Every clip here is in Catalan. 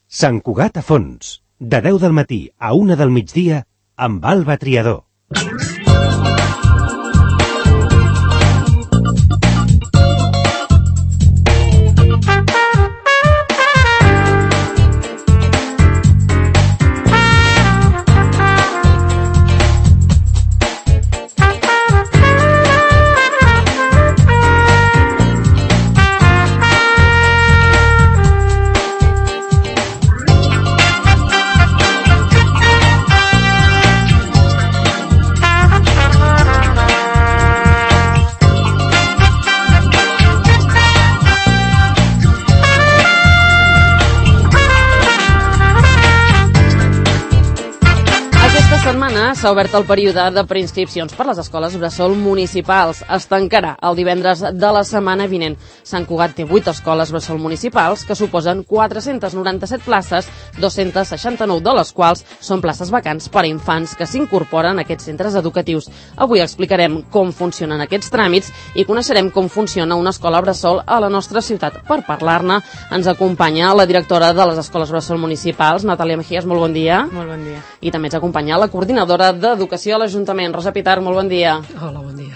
Sant Cugat a fons, de 10 del matí a 1 del migdia, amb Alba Triador. S'ha obert el període de preinscripcions per les escoles bressol municipals. Es tancarà el divendres de la setmana vinent. Sant Cugat té 8 escoles bressol municipals que suposen 497 places, 269 de les quals són places vacants per a infants que s'incorporen a aquests centres educatius. Avui explicarem com funcionen aquests tràmits i coneixerem com funciona una escola bressol a la nostra ciutat. Per parlar-ne ens acompanya la directora de les escoles bressol municipals, Natàlia Mejías, molt bon dia. Molt bon dia. I també ens acompanya la coordinadora d'Educació a l'Ajuntament, Rosa Pitar, molt bon dia. Hola, bon dia.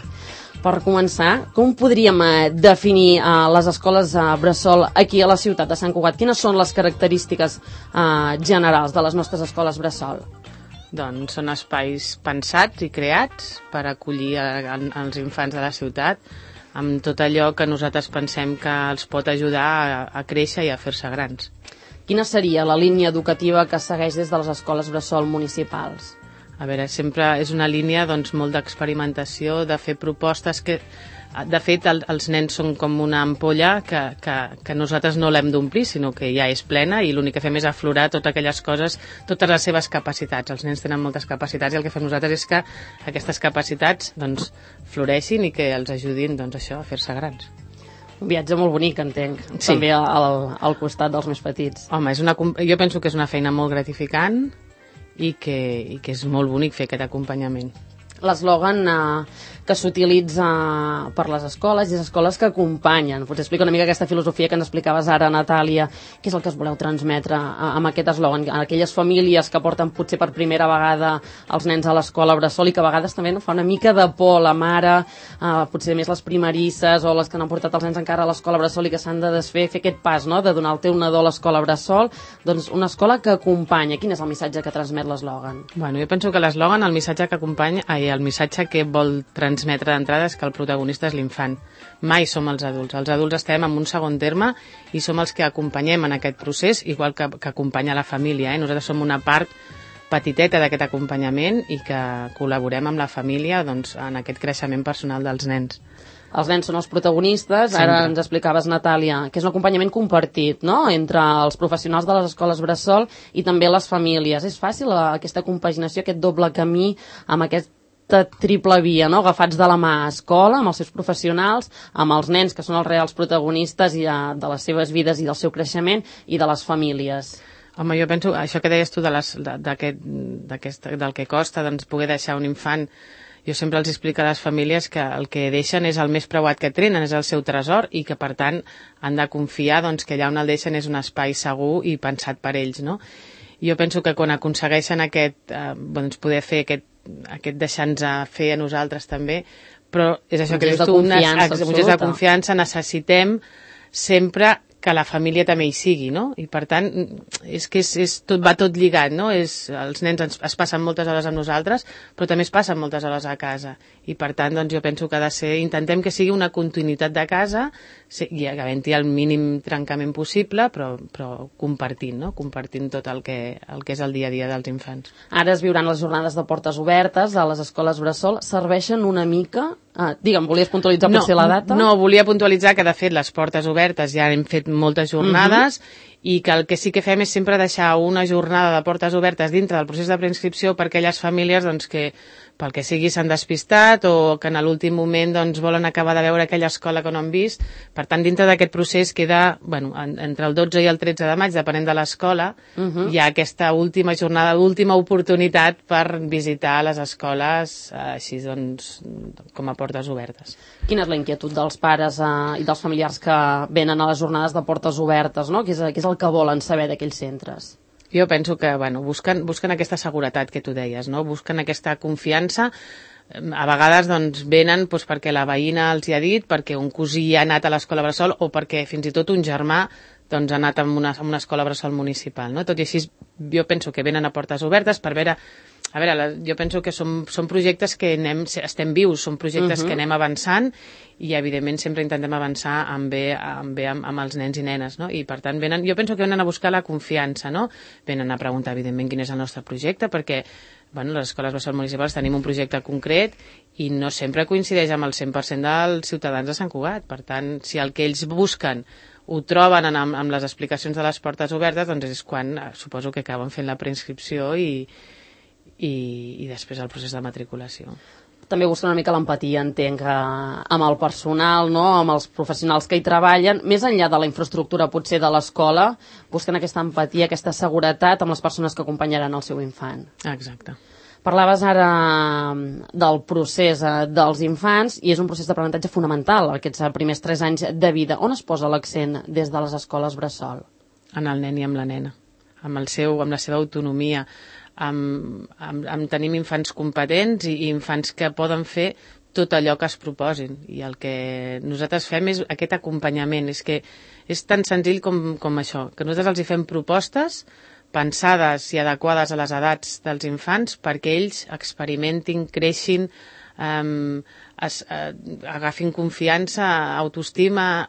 Per començar, com podríem definir les escoles bressol aquí a la ciutat de Sant Cugat? Quines són les característiques generals de les nostres escoles bressol? Doncs són espais pensats i creats per acollir els infants de la ciutat amb tot allò que nosaltres pensem que els pot ajudar a créixer i a fer-se grans. Quina seria la línia educativa que segueix des de les escoles bressol municipals? A veure, sempre és una línia molt d'experimentació, de fer propostes que, de fet, els nens són com una ampolla que nosaltres no l'hem d'omplir, sinó que ja és plena i l'únic que fem és aflorar totes aquelles coses, totes les seves capacitats. Els nens tenen moltes capacitats i el que fem nosaltres és que aquestes capacitats floreixin i que els ajudin a fer-se grans. Un viatge molt bonic, entenc, sí. També al costat dels més petits. Home, jo penso que és una feina molt gratificant i que és molt bonic fer aquest acompanyament. L'eslògan que s'utilitza per les escoles i les escoles que acompanyen. Potser explica una mica aquesta filosofia que ens explicaves ara, Natàlia. Què és el que es voleu transmetre amb aquest eslògan? Aquelles famílies que porten potser per primera vegada els nens a l'escola bressol i que a vegades també fa una mica de por la mare, potser més les primerisses o les que no han portat els nens encara a l'escola bressol i que s'han de desfer, fer aquest pas, no?, de donar el teu nadó a l'escola bressol. Doncs una escola que acompanya. Quin és el missatge que transmet l'eslògan? Bueno, jo penso que l'eslògan, el missatge que acompanya, el missatge que vol transmetre d'entrada és que el protagonista és l'infant. Mai som els adults. Els adults estem en un segon terme i som els que acompanyem en aquest procés, igual que acompanya la família. Nosaltres som una part petiteta d'aquest acompanyament i que col·laborem amb la família en aquest creixement personal dels nens. Els nens són els protagonistes. Sempre. Ara ens explicaves, Natàlia, que és un acompanyament compartit, no?, entre els professionals de les escoles bressol i també les famílies. És fàcil aquesta compaginació, aquest doble camí amb aquesta triple via, no?, agafats de la mà a escola, amb els seus professionals, amb els nens, que són els reals protagonistes de les seves vides i del seu creixement, i de les famílies. Home, jo penso, això que deies tu del que costa poder deixar un infant, jo sempre els explico a les famílies que el que deixen és el més preuat que tenen, és el seu tresor, i que, per tant, han de confiar que allà on el deixen és un espai segur i pensat per ells, no? Jo penso que quan aconsegueixen poder fer aquest deixar-nos fer a nosaltres també, però és això que dius tu, un gest de confiança, necessitem sempre que la família també hi sigui, no? I per tant, és que va tot lligat, no? Els nens es passen moltes hores amb nosaltres, però també es passen moltes hores a casa. I per tant, jo penso que intentem que sigui una continuïtat de casa, i havent-hi el mínim trencament possible, però compartint, no? Compartint tot el que és el dia a dia dels infants. Ara es viuran les jornades de portes obertes a les escoles bressol. Serveixen una mica... Digue'm, volies puntualitzar potser la data? No, volia puntualitzar que, de fet, les portes obertes ja hem fet moltes jornades i que el que sí que fem és sempre deixar una jornada de portes obertes dintre del procés de preinscripció per aquelles famílies que pel que sigui s'han despistat o que en l'últim moment volen acabar de veure aquella escola que no han vist. Per tant, dintre d'aquest procés queda, entre el 12 i el 13 de maig, depenent de l'escola, hi ha aquesta última jornada, última oportunitat per visitar les escoles així, com a portes obertes. Quina és la inquietud dels pares i dels familiars que venen a les jornades de portes obertes, no? Què és el el que volen saber d'aquells centres? Jo penso que busquen aquesta seguretat que tu deies, no? Busquen aquesta confiança. A vegades doncs, venen perquè la veïna els hi ha dit, perquè un cosí ha anat a l'escola bressol o perquè fins i tot un germà doncs, ha anat a una escola bressol municipal. No? Tot i així, jo penso que venen a portes obertes per veure... A veure, jo penso que són projectes que estem vius, són projectes que anem avançant i, evidentment, sempre intentem avançar amb els nens i nenes, no? I, per tant, jo penso que venen a buscar la confiança, no? Venen a preguntar, evidentment, quin és el nostre projecte, perquè les escoles bressol municipals tenim un projecte concret i no sempre coincideix amb el 100% dels ciutadans de Sant Cugat. Per tant, si el que ells busquen ho troben amb les explicacions de les portes obertes, doncs és quan suposo que acaben fent la preinscripció i després el procés de matriculació. També busquen una mica l'empatia, entenc, amb el personal, no? Amb els professionals que hi treballen, més enllà de la infraestructura potser de l'escola, busquen aquesta empatia, aquesta seguretat amb les persones que acompanyaran el seu infant. Exacte. Parlaves ara del procés dels infants i és un procés d'aprenentatge fonamental, aquests primers 3 anys de vida. On es posa l'accent des de les escoles bressol? En el nen i amb la nena, amb la seva autonomia, amb tenim infants competents i infants que poden fer tot allò que es proposin. I el que nosaltres fem és aquest acompanyament. És que és tan senzill com això, que nosaltres els hi fem propostes pensades i adequades a les edats dels infants perquè ells experimentin, creixin, agafin confiança, autoestima.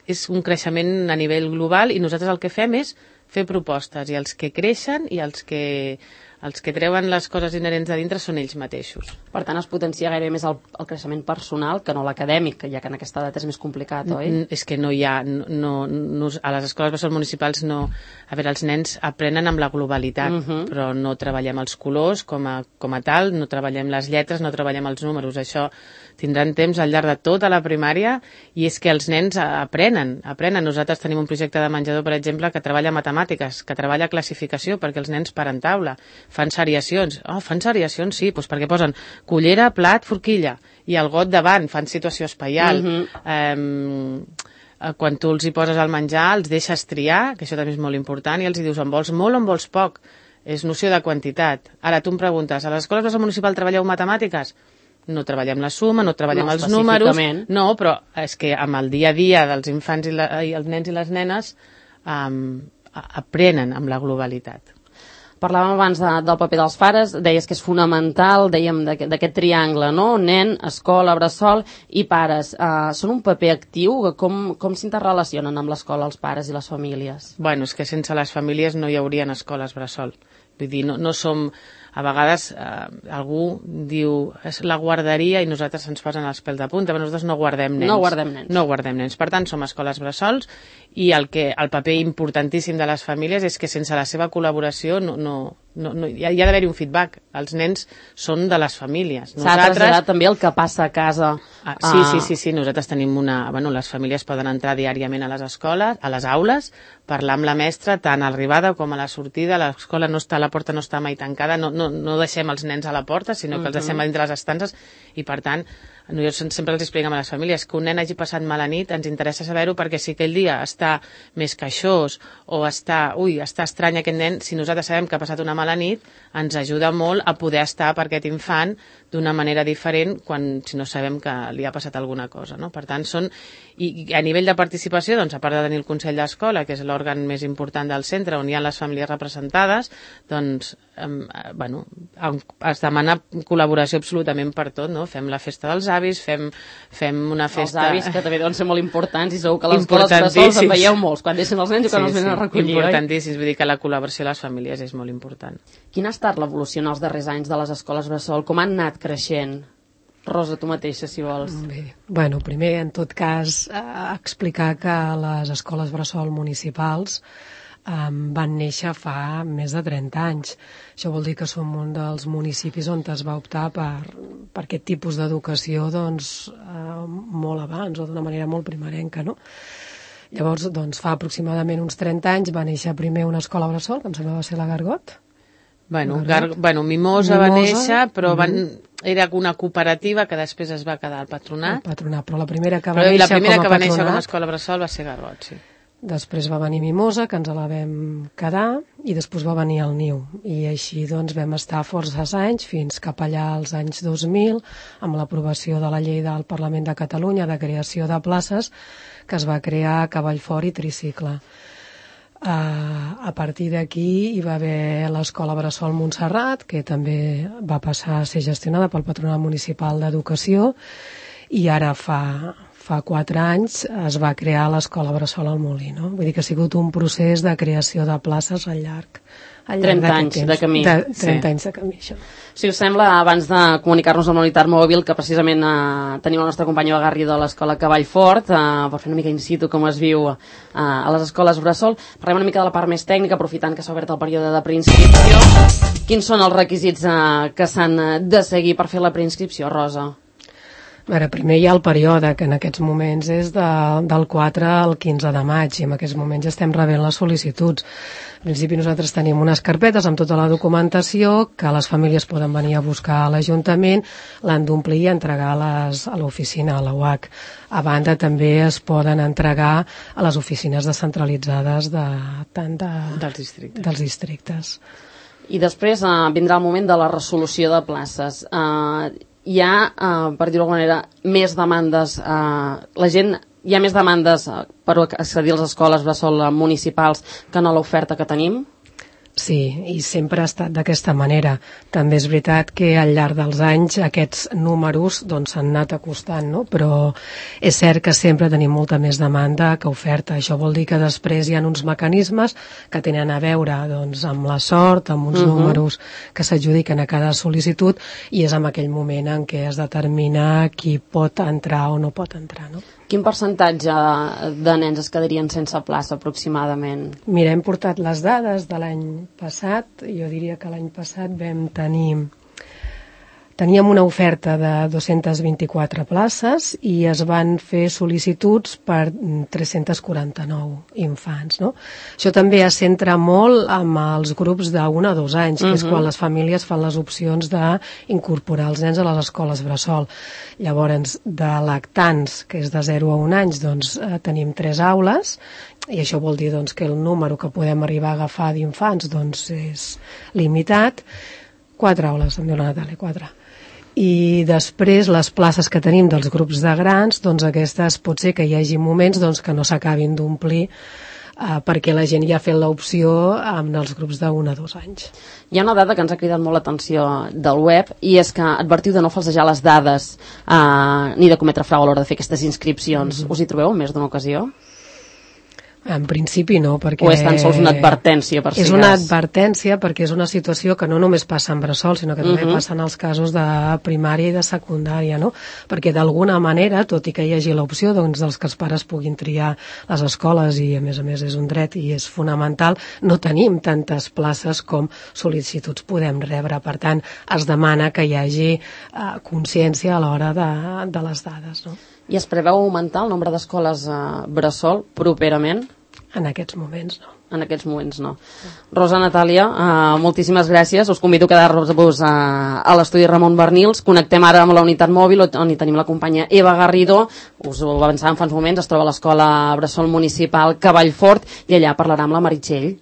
És un creixement a nivell global i nosaltres el que fem és fer propostes i els que creixen i els que treuen les coses inherents de dintre són ells mateixos. Per tant, es potencia gairebé més el creixement personal que no l'acadèmic, ja que en aquesta edat és més complicat, oi? És que no hi ha... a les escoles bressol municipals no... A veure, els nens aprenen amb la globalitat, però no treballem els colors com a tal, no treballem les lletres, no treballem els números. Això tindran temps al llarg de tota la primària i és que els nens aprenen. Nosaltres tenim un projecte de menjador, per exemple, que treballa matemàtiques, que treballa classificació perquè els nens paren taula. Fan seriacions. Fan seriacions, sí, doncs perquè posen cullera, plat, forquilla i el got davant, fan situació espaial. Quan tu els hi poses el menjar, els deixes triar, que això també és molt important, i els hi dius en vols molt o en vols poc. És noció de quantitat. Ara tu em preguntes, a les escoles bressol municipal treballeu matemàtiques? No treballem la suma, no treballem els números. No, però és que amb el dia a dia dels infants i els nens i les nenes aprenen amb la globalitat. Parlàvem abans del paper dels pares, deies que és fonamental, dèiem d'aquest triangle, no? Nen, escola, bressol i pares. Són un paper actiu? Com s'interrelacionen amb l'escola els pares i les famílies? Bueno, és que sense les famílies no hi haurien escoles bressol. Vull dir, no som... A vegades algú diu és la guarderia i nosaltres ens posen els pèls de punta, però nosaltres no guardem nens. No guardem nens. Per tant, som escoles bressols i el paper importantíssim de les famílies és que sense la seva col·laboració hi ha d'haver-hi un feedback. Els nens són de les famílies. S'ha traslladat també el que passa a casa. Sí. Nosaltres tenim les famílies poden entrar diàriament a les escoles, a les aules, parlar amb la mestra tant a l'arribada com a la sortida. La porta no està mai tancada, no deixem els nens a la porta, sinó que els deixem a dintre les estances i, per tant, nosaltres sempre els expliquem a les famílies que un nen hagi passat mala nit, ens interessa saber-ho perquè si aquell dia està més queixós o està estrany aquest nen, si nosaltres sabem que ha passat una mala nit, ens ajuda molt a poder estar per aquest infant d'una manera diferent si no sabem que li ha passat alguna cosa, no? Per tant, i a nivell de participació, doncs, a part de tenir el Consell d'Escola, que és l'òrgan més important del centre, on hi ha les famílies representades, doncs, es demana col·laboració absolutament per tot, no? Fem la festa dels avis, fem una festa... Els avis, que també deuen ser molt importants i segur que a les escoles bressols en veieu molts, quan deixen els nens i quan els venen a recollir. Importantíssims, vull dir que la col·laboració a les famílies és molt important. Quina ha estat l'evolució en els darrers anys de les escoles bressol? Com han anat creixent? Rosa, tu mateixa, si vols. Bé, primer, en tot cas, explicar que les escoles bressol municipals van néixer fa més de 30 anys. Això vol dir que som un dels municipis on es va optar per aquest tipus d'educació molt abans o d'una manera molt primerenca, no? Llavors, fa aproximadament uns 30 anys va néixer primer una escola bressol, que em sembla que va ser la Gargot. Mimosa va néixer, però era una cooperativa que després es va quedar al patronat. Però la primera que va néixer com a escola bressol va ser Gargot, sí. Després va venir Mimosa, que ens la vam quedar, i després va venir el Niu. I així doncs vam estar forces anys, fins cap allà als anys 2000, amb l'aprovació de la llei del Parlament de Catalunya de creació de places, que es va crear a Cavallfort i Tricicle. A partir d'aquí hi va haver l'Escola Bressol Montserrat, que també va passar a ser gestionada pel Patronat Municipal d'Educació, i ara fa 4 anys es va crear l'Escola Bressol al Molí, no? Vull dir que ha sigut un procés de creació de places al llarg 30 anys de camí. 30 anys de camí, això. Si us sembla, abans de comunicar-nos amb la unitat mòbil, que precisament tenim el nostre company Eva Garrido de l'Escola Cavallfort, per fer una mica in situ com es viu a les escoles Bressol, parlem una mica de la part més tècnica, aprofitant que s'ha obert el període de preinscripció. Quins són els requisits que s'han de seguir per fer la preinscripció, Rosa? Ara, primer hi ha el període, que en aquests moments és del 4 al 15 de maig, i en aquests moments ja estem rebent les sol·licituds. En principi nosaltres tenim unes carpetes amb tota la documentació que les famílies poden venir a buscar a l'Ajuntament, l'han d'omplir i entregar a l'oficina, a la UAC. A banda, també es poden entregar a les oficines descentralitzades dels districtes. I després vindrà el moment de la resolució de places. Hi ha, per dir-ho d'alguna manera, més demandes, hi ha més demandes per accedir a les escoles bressol municipals que no l'oferta que tenim? Sí, i sempre ha estat d'aquesta manera. També és veritat que al llarg dels anys aquests números s'han anat acostant, no? Però és cert que sempre tenim molta més demanda que oferta. Això vol dir que després hi ha uns mecanismes que tenen a veure amb la sort, amb uns números que s'adjudiquen a cada sol·licitud, i és en aquell moment en què es determina qui pot entrar o no pot entrar, no? Quin percentatge de nens es quedarien sense plaça aproximadament? Mira, hem portat les dades de l'any passat. Jo diria que l'any passat teníem una oferta de 224 places i es van fer sol·licituds per 349 infants, no? Això també es centra molt amb els grups d'1 a 2 anys, que és quan les famílies fan les opcions d'incorporar els nens a les escoles bressol. Llavors, de lactants, que és de 0 a 1 anys, tenim 3 aules, i això vol dir que el número que podem arribar a agafar d'infants és limitat. 4 aules, em diu la Natàlia, 4. I després les places que tenim dels grups de grans, aquestes pot ser que hi hagi moments que no s'acabin d'omplir perquè la gent ja ha fet l'opció amb els grups de 1 a 2 anys. Hi ha una dada que ens ha cridat molt l'atenció del web, i és que advertiu de no falsejar les dades ni de cometre frau a l'hora de fer aquestes inscripcions. Us hi trobeu en més d'una ocasió? En principi no, perquè... O és tan sols una advertència, per si És una advertència perquè és una situació que no només passa en bressol, sinó que també passa en els casos de primària i de secundària, no? Perquè d'alguna manera, tot i que hi hagi l'opció dels que els pares puguin triar les escoles, i a més és un dret i és fonamental, no tenim tantes places com sol·licituds podem rebre. Per tant, es demana que hi hagi consciència a l'hora de les dades, no? I es preveu augmentar el nombre d'escoles bressol properament? En aquests moments no. En aquests moments no. Rosa, Natàlia, moltíssimes gràcies. Us convido a quedar-vos a l'estudi Ramon Bernils. Connectem ara amb la unitat mòbil on hi tenim la companya Eva Garrido. Us ho avançàvem fa uns moments. Es troba a l'Escola Bressol Municipal Cavallfort i allà parlarà amb la Meritxell.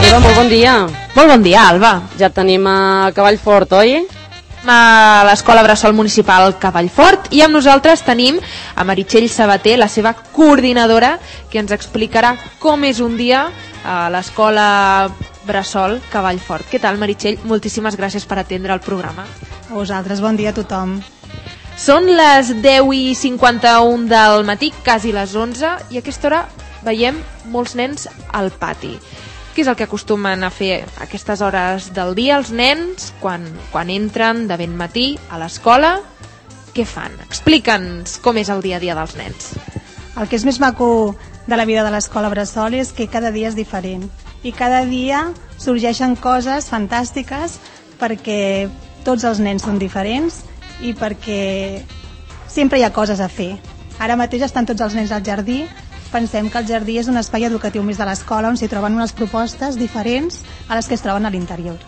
Eva, molt bon dia. Molt bon dia, Alba. Ja tenim a Cavallfort, oi? A l'Escola Bressol Municipal Cavallfort, i amb nosaltres tenim a Meritxell Sabater, la seva coordinadora, que ens explicarà com és un dia a l'Escola Bressol Cavallfort. Què tal, Meritxell? Moltíssimes gràcies per atendre el programa. A vosaltres, bon dia a tothom. Són les 10:51 del matí, quasi les 11, i a aquesta hora veiem molts nens al pati. Què és el que acostumen a fer a aquestes hores del dia els nens quan entren de ben matí a l'escola? Què fan? Explica'ns com és el dia a dia dels nens. El que és més maco de la vida de l'escola Bressol és que cada dia és diferent i cada dia sorgeixen coses fantàstiques perquè tots els nens són diferents i perquè sempre hi ha coses a fer. Ara mateix estan tots els nens al jardí. Pensem que el jardí és un espai educatiu més de l'escola on s'hi troben unes propostes diferents a les que es troben a l'interior.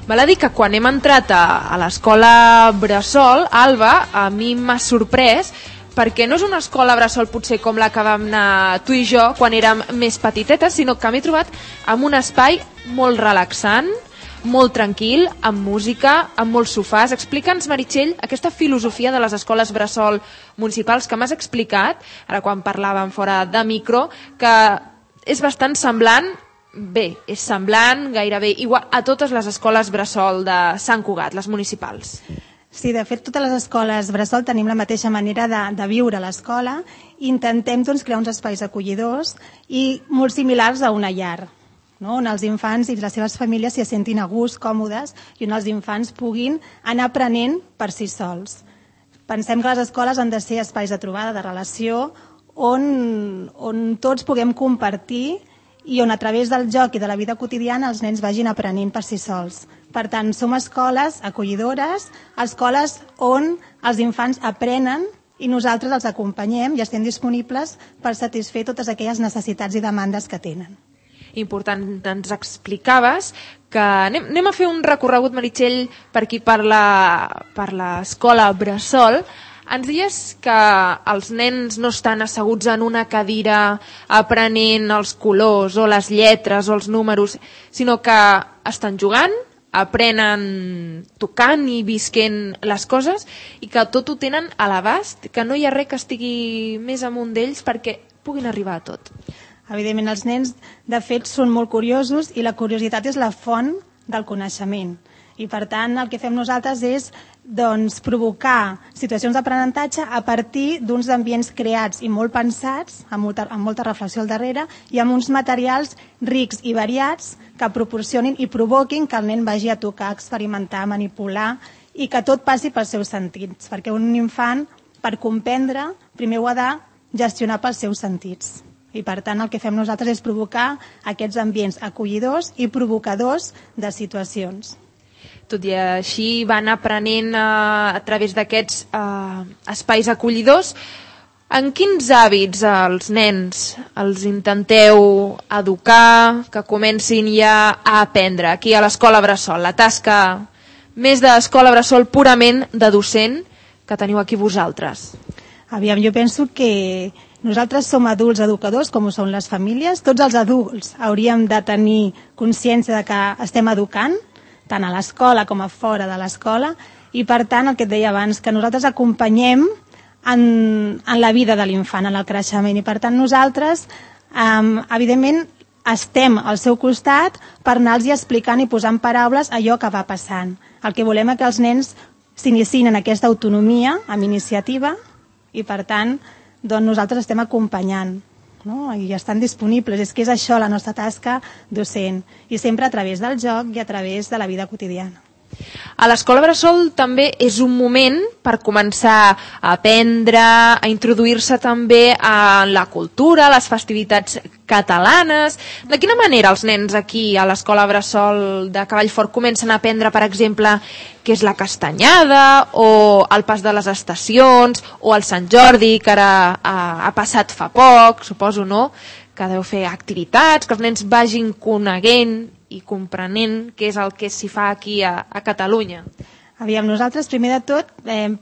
Val a dir que quan hem entrat a l'escola Bressol, Alba, a mi m'ha sorprès perquè no és una escola bressol potser com la que vam anar tu i jo quan érem més petitetes, sinó que m'he trobat en un espai molt relaxant, molt tranquil, amb música, amb molts sofàs. Explica'ns, Meritxell, aquesta filosofia de les escoles bressol municipals que m'has explicat, ara quan parlàvem fora de micro, que és bastant semblant, bé, és semblant gairebé igual a totes les escoles bressol de Sant Cugat, les municipals. Sí, de fet, totes les escoles bressol tenim la mateixa manera de viure a l'escola. Intentem crear uns espais acollidors i molt similars a una llar, no? On els infants i les seves famílies s'hi sentin a gust, còmodes, i on els infants puguin anar aprenent per si sols. Pensem que les escoles han de ser espais de trobada, de relació, on tots puguem compartir i on a través del joc i de la vida quotidiana els nens vagin aprenent per si sols. Per tant, som escoles acollidores, escoles on els infants aprenen i nosaltres els acompanyem i estem disponibles per satisfer totes aquelles necessitats i demandes que tenen. Important, ens explicaves que anem a fer un recorregut, Meritxell, per aquí per l'escola Bressol. Ens dius que els nens no estan asseguts en una cadira aprenent els colors o les lletres o els números, sinó que estan jugant, aprenen tocant i visquent les coses i que tot ho tenen a l'abast, que no hi ha res que estigui més amunt d'ells perquè puguin arribar a tot. Evidentment, els nens, de fet, són molt curiosos i la curiositat és la font del coneixement. I, per tant, el que fem nosaltres és provocar situacions d'aprenentatge a partir d'uns ambients creats i molt pensats, amb molta reflexió al darrere, i amb uns materials rics i variats que proporcionin i provoquin que el nen vagi a tocar, experimentar, manipular i que tot passi pels seus sentits. Perquè un infant, per comprendre, primer ho ha de gestionar pels seus sentits. I, per tant, el que fem nosaltres és provocar aquests ambients acollidors i provocadors de situacions. Tot i així van aprenent a través d'aquests espais acollidors. En quins hàbits els nens els intenteu educar, que comencin ja a aprendre aquí a l'escola Bressol? La tasca més d'escola Bressol purament de docent que teniu aquí vosaltres. Aviam, jo penso que nosaltres som adults educadors, com ho són les famílies. Tots els adults hauríem de tenir consciència de que estem educant, tant a l'escola com a fora de l'escola, i per tant, el que et deia abans, que nosaltres acompanyem en la vida de l'infant, en el creixement, i per tant nosaltres, evidentment, estem al seu costat per anar-los explicant i posant paraules allò que va passant. El que volem és que els nens s'iniciïn en aquesta autonomia, amb iniciativa, i per tant, nosaltres estem acompanyant, no? I estan disponibles. És que és això la nostra tasca docent, i sempre a través del joc i a través de la vida quotidiana. A l'escola Bressol també és un moment per començar a aprendre, a introduir-se també a la cultura, a les festivitats catalanes. De quina manera els nens aquí a l'escola Bressol de Cavallfort comencen a aprendre, per exemple, què és la castanyada o el pas de les estacions o el Sant Jordi, que ara ha passat fa poc, suposo, no?, que deu fer activitats, que els nens vagin coneguent i comprenent què és el que s'hi fa aquí a Catalunya. Aviam, nosaltres, primer de tot,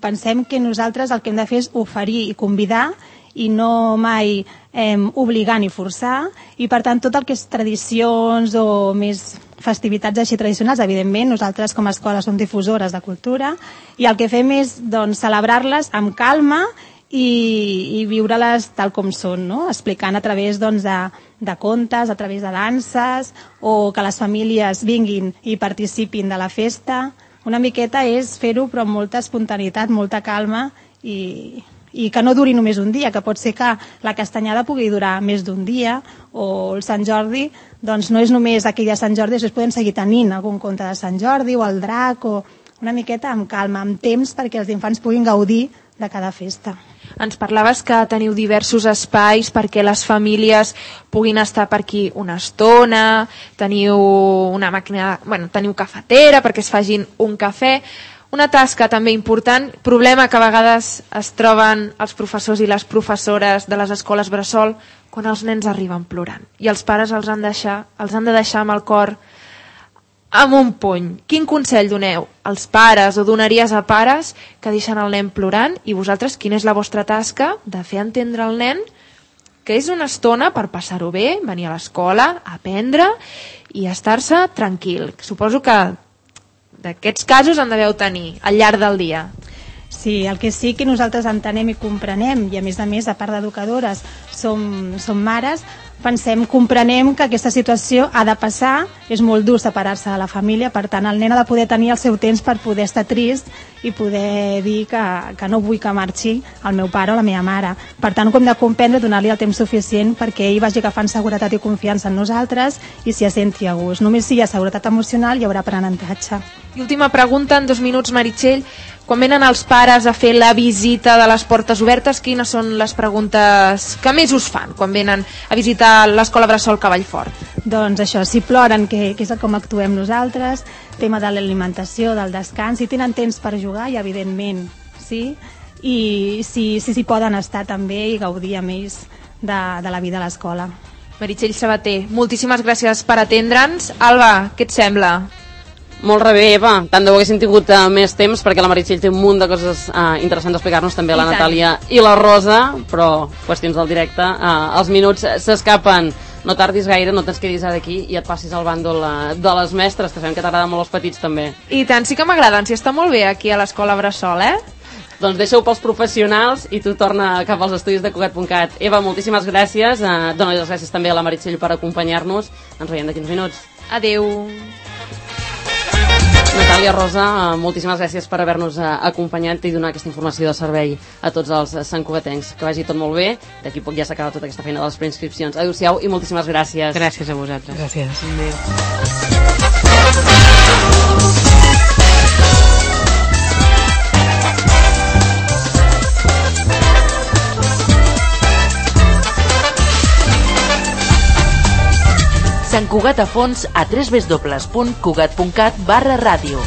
pensem que nosaltres el que hem de fer és oferir i convidar i no mai obligar ni forçar, i per tant tot el que és tradicions o més festivitats així tradicionals, evidentment nosaltres com a escola som difusores de cultura i el que fem és celebrar-les amb calma i viure-les tal com són, no? Explicant a través de contes, a través de danses, o que les famílies vinguin i participin de la festa. Una miqueta és fer-ho però amb molta espontaneïtat, molta calma i que no duri només un dia, que pot ser que la castanyada pugui durar més d'un dia, o el Sant Jordi no és només aquell de Sant Jordi, després podem seguir tenint algun conte de Sant Jordi o el drac, o una miqueta amb calma, amb temps perquè els infants puguin gaudir de cada festa. Ens parlaves que teniu diversos espais perquè les famílies puguin estar per aquí una estona, teniu una màquina, teniu cafetera perquè es facin un cafè. Una tasca també important, problema que a vegades es troben els professors i les professores de les escoles Bressol quan els nens arriben plorant i els pares els han de deixar amb el cor amb un puny. Quin consell doneu als pares o donaries a pares que deixen el nen plorant, i vosaltres quina és la vostra tasca de fer entendre al nen que és una estona per passar-ho bé, venir a l'escola, aprendre i estar-se tranquil? Suposo que d'aquests casos en deveu tenir al llarg del dia. Sí, el que sí que nosaltres entenem i comprenem, i a més, a part d'educadores, som mares, comprenem que aquesta situació ha de passar, és molt dur separar-se de la família, per tant el nen ha de poder tenir el seu temps per poder estar trist i poder dir que no vull que marxi el meu pare o la meva mare. Per tant, hem de comprendre, donar-li el temps suficient perquè ell vagi agafant seguretat i confiança en nosaltres i s'hi senti a gust. Només si hi ha seguretat emocional hi haurà aprenentatge. I última pregunta, en 2 minuts, Meritxell. Quan venen els pares a fer la visita de les portes obertes, quines són les preguntes que més us fan quan venen a visitar l'escola Bressol Cavallfort? Doncs això, si ploren, que és com actuem nosaltres, tema de l'alimentació, del descans, si tenen temps per jugar, i evidentment, sí, i si poden estar també i gaudir amb ells de la vida a l'escola. Meritxell Sabater, moltíssimes gràcies per atendre'ns. Alba, què et sembla? Molt bé, Eva. Tant de bo haguéssim tingut més temps, perquè la Meritxell té un munt de coses interessants a explicar-nos, també la Natàlia i la Rosa, però qüestions del directe, els minuts s'escapen. No tardis gaire, no te'ns quedis ara aquí i et passis al bàndol de les mestres, que sabem que t'agraden molt els petits també. I tant, sí que m'agraden, si està molt bé aquí a l'escola Bressol, Doncs deixa-ho pels professionals i tu torna cap als estudis de Cugat.cat. Eva, moltíssimes gràcies. Dóna les gràcies també a la Meritxell per acompanyar-nos. Ens veiem d'aquí uns minuts. Adeu. Natàlia, Rosa, moltíssimes gràcies per haver-nos acompanyat i donar aquesta informació de servei a tots els santcugatencs. Que vagi tot molt bé. D'aquí poc ja s'acaba tota aquesta feina de les preinscripcions. Adéu-siau i moltíssimes gràcies. Gràcies a vosaltres. Gràcies. Sant Cugat a fons a www.cugat.cat/ràdio.